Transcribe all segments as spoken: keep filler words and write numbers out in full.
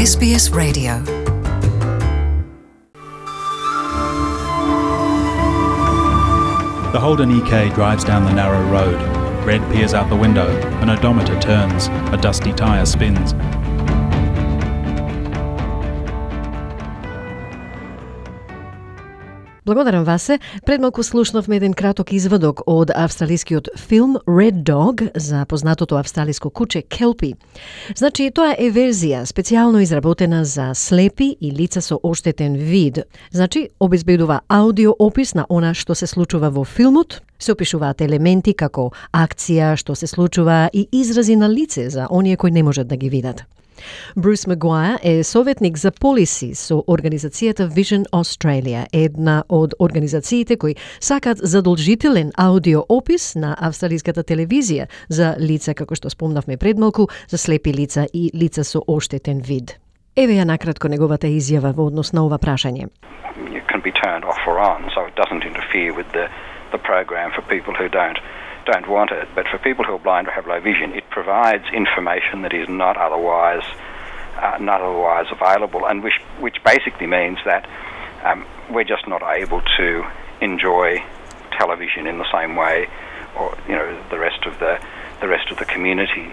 S B S Radio. The Holden E K drives down the narrow road. Red peers out the window. An odometer turns. A dusty tyre spins. Благодарам вас се. Пред малку слушнавме еден краток извадок од австралискиот филм Red Dog за познатото австралиско куче Келпи. Значи, тоа е верзија специјално изработена за слепи и лица со оштетен вид. Значи, обезбедува аудио опис на она што се случува во филмот, се опишуваат елементи како акција, што се случува и изрази на лице за оние кои не можат да ги видат. Брус Магуајер е советник за полиси со организацијата Vision Australia, една од организациите кои сакаат задолжителен аудио опис на австралиската телевизија за лица, како што спомнавме пред малку, за слепи лица и лица со оштетен вид. Еве ја накратко неговата изјава во однос на ова прашање. It can be turned off or on, so it doesn't interfere with the the program for people who don't don't want it, but for people who are blind or have low vision, it provides information that is not otherwise uh, not otherwise available, and which which basically means that um, we're just not able to enjoy television in the same way, or you know, the rest of the the rest of the community.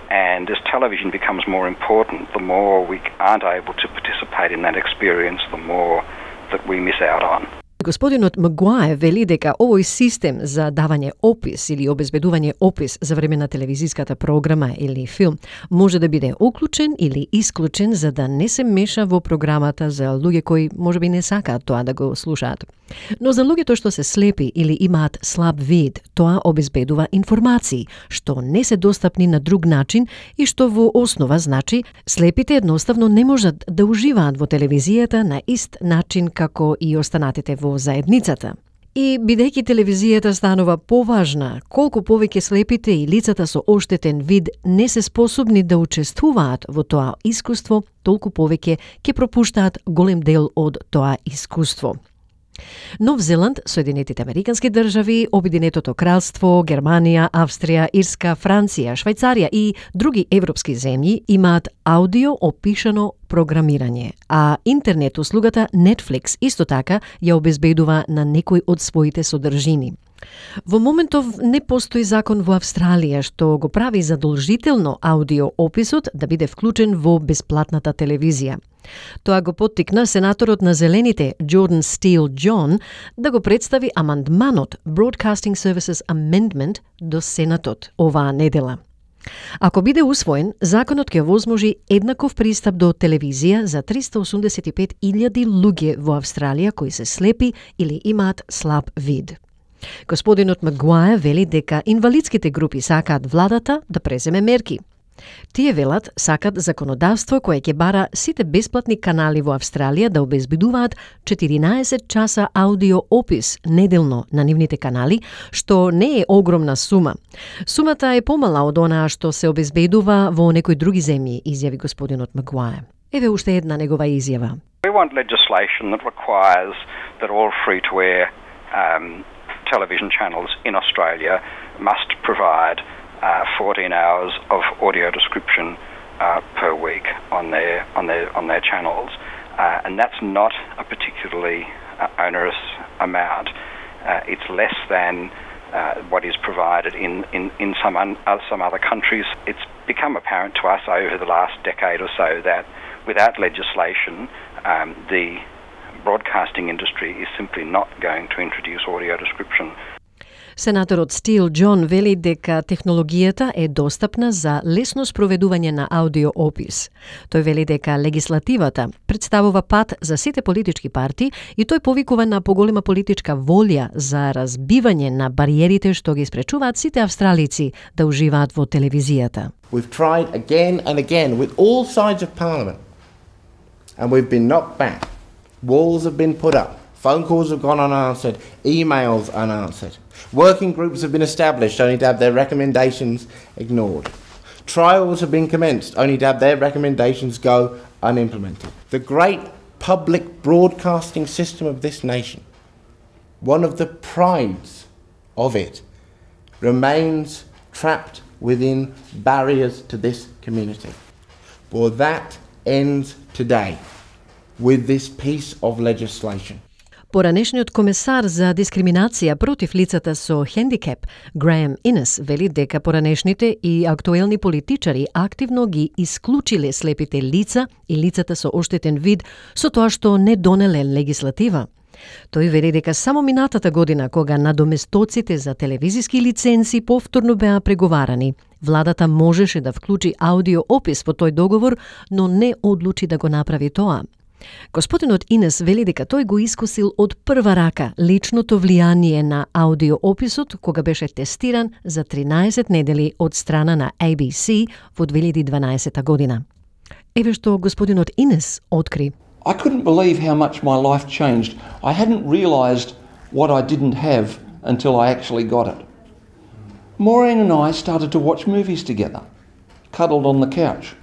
And as television becomes more important, the more we aren't able to participate in that experience, the more that we miss out on. Господинот Магуајер вели дека овој систем за давање опис или обезбедување опис за време на телевизиската програма или филм може да биде уклучен или исклучен за да не се меша во програмата за луѓе кои можеби не сакаат тоа да го слушаат. Но за луѓето што се слепи или имаат слаб вид, тоа обезбедува информации што не се достапни на друг начин и што во основа значи слепите едноставно не можат да уживаат во телевизијата на ист начин како и останатите во заедницата. И бидејќи телевизијата станува поважна, колку повеќе слепите и лицата со оштетен вид не се способни да учествуваат во тоа искуство, толку повеќе ќе пропуштаат голем дел од тоа искуство. Нов Зеланд, Соединетите Американски држави, Обединетото кралство, Германија, Австрија, Ирска, Франција, Швајцарија и други европски земји имаат аудио опишано програмирање, а интернет услугата Netflix исто така ја обезбедува на некој од своите содржини. Во моментов не постои закон во Австралија што го прави задолжително аудио описот да биде вклучен во бесплатната телевизија. Тоа го поттикна сенаторот на Зелените Jordan Steele John да го представи амандманот Broadcasting Services Amendment до Сенатот оваа недела. Ако биде усвоен, законот ќе возможи еднаков пристап до телевизија за триста осумдесет и пет илјади луѓе во Австралија кои се слепи или имаат слаб вид. Господинот Магуајер вели дека инвалидските групи сакаат владата да преземе мерки. Тие велат сакат законодавство кое ќе бара сите бесплатни канали во Австралија да обезбедуваат четиринаесет часа аудио опис неделно на нивните канали, што не е огромна сума. Сумата е помала од онаа што се обезбедува во некои други земји, изјави господинот Магуајер. Еве уште една негова изјава. We want legislation that requires that all free-to-air um, television channels in Australia must provide uh, fourteen hours of audio description uh, per week on their on their on their channels, uh, and that's not a particularly uh, onerous amount. Uh, it's less than uh, what is provided in in in some un, uh, some other countries. It's become apparent to us over the last decade or so that without legislation, um, the broadcasting industry is simply not going to introduce audio description. Сенаторот Стил Џон вели дека технологијата е достапна за лесно спроведување на аудио опис. Тој вели дека легислативата представува пат за сите политички партии и тој повикува на поголема политичка волја за разбивање на бариерите што ги спречуваат сите австралици да уживаат во телевизијата. We've tried again and again with all sides of parliament and we've been knocked back. Walls have been put up. Phone calls have gone unanswered. Emails unanswered. Working groups have been established only to have their recommendations ignored. Trials have been commenced only to have their recommendations go unimplemented. The great public broadcasting system of this nation, one of the prides of it, remains trapped within barriers to this community. For that ends today with this piece of legislation. Поранешниот комесар за дискриминација против лицата со хендикеп, Граем Инес, вели дека поранешните и актуелни политичари активно ги исклучиле слепите лица и лицата со оштетен вид со тоа што не донеле легислатива. Тој вели дека само минатата година, кога надоместоците за телевизиски лиценци повторно беа преговарани, владата можеше да вклучи аудио опис во тој договор, но не одлучи да го направи тоа. Господинот Инес вели дека тој го искусил од прва рака личното влијание на аудиоописот кога беше тестиран за тринаесет недели од страна на A B C во две илјади и дванаесета година. Еве што господинот Инес откри. I couldn't believe how much my life changed. I hadn't realised what I didn't have until I actually got it. Maureen and I started to watch movies together, cuddled on the couch.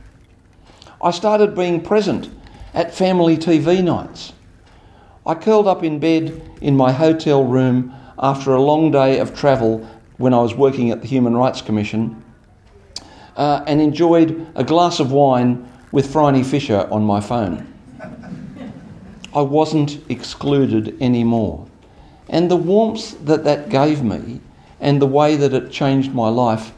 I started being present at family T V nights. I curled up in bed in my hotel room after a long day of travel when I was working at the Human Rights Commission uh, and enjoyed a glass of wine with Phryne Fisher on my phone. I wasn't excluded anymore. And the warmth that that gave me and the way that it changed my life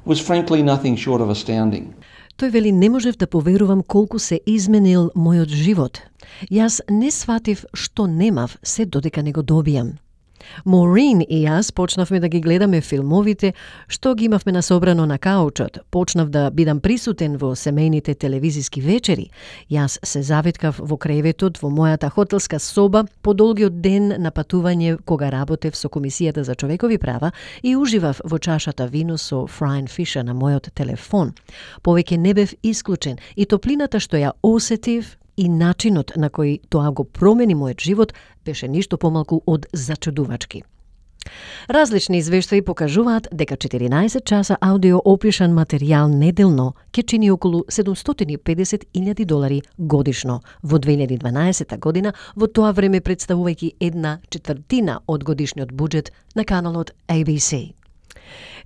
was frankly nothing short of astounding. Тој вели, не можев да поверувам колку се изменил мојот живот. Јас не сватив што немав се додека не го добијам. Маурeen и јас почнавме да ги гледаме филмовите што ги имавме насобрано на каучот. Почнав да бидам присутен во семејните телевизиски вечери. Јас се завиткав во креветот во мојата хотелска соба по долгиот ден на патување кога работев со Комисијата за човекови права и уживав во чашата вино со Phryne Fisher на мојот телефон. Повеќе не бев исклучен и топлината што ја осетив и начинот на кој тоа го промени мојот живот беше ништо помалку од зачудувачки. Различни извештаи покажуваат дека четиринаесет часа аудио опишан материјал неделно ќе чини околу седумстотини и педесет илјади долари годишно во две илјади и дванаесета година, во тоа време представувајќи една четвртина од годишниот буџет на каналот A B C.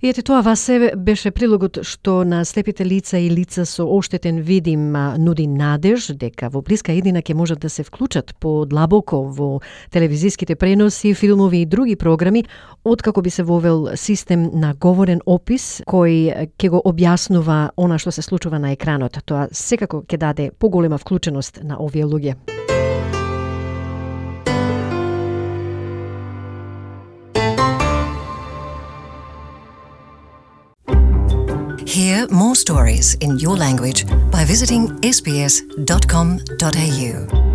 И ете тоа во себе беше прилогот што на слепите лица и лица со оштетен вид им нуди надеж дека во блиска иднина ќе можат да се вклучат подлабоко во телевизиските преноси, филмови и други програми, откако би се вовел систем на говорен опис кој ќе го објаснува она што се случува на екранот. Тоа секако ќе даде поголема вклученост на овие луѓе. Hear more stories in your language by visiting s b s dot com dot a u.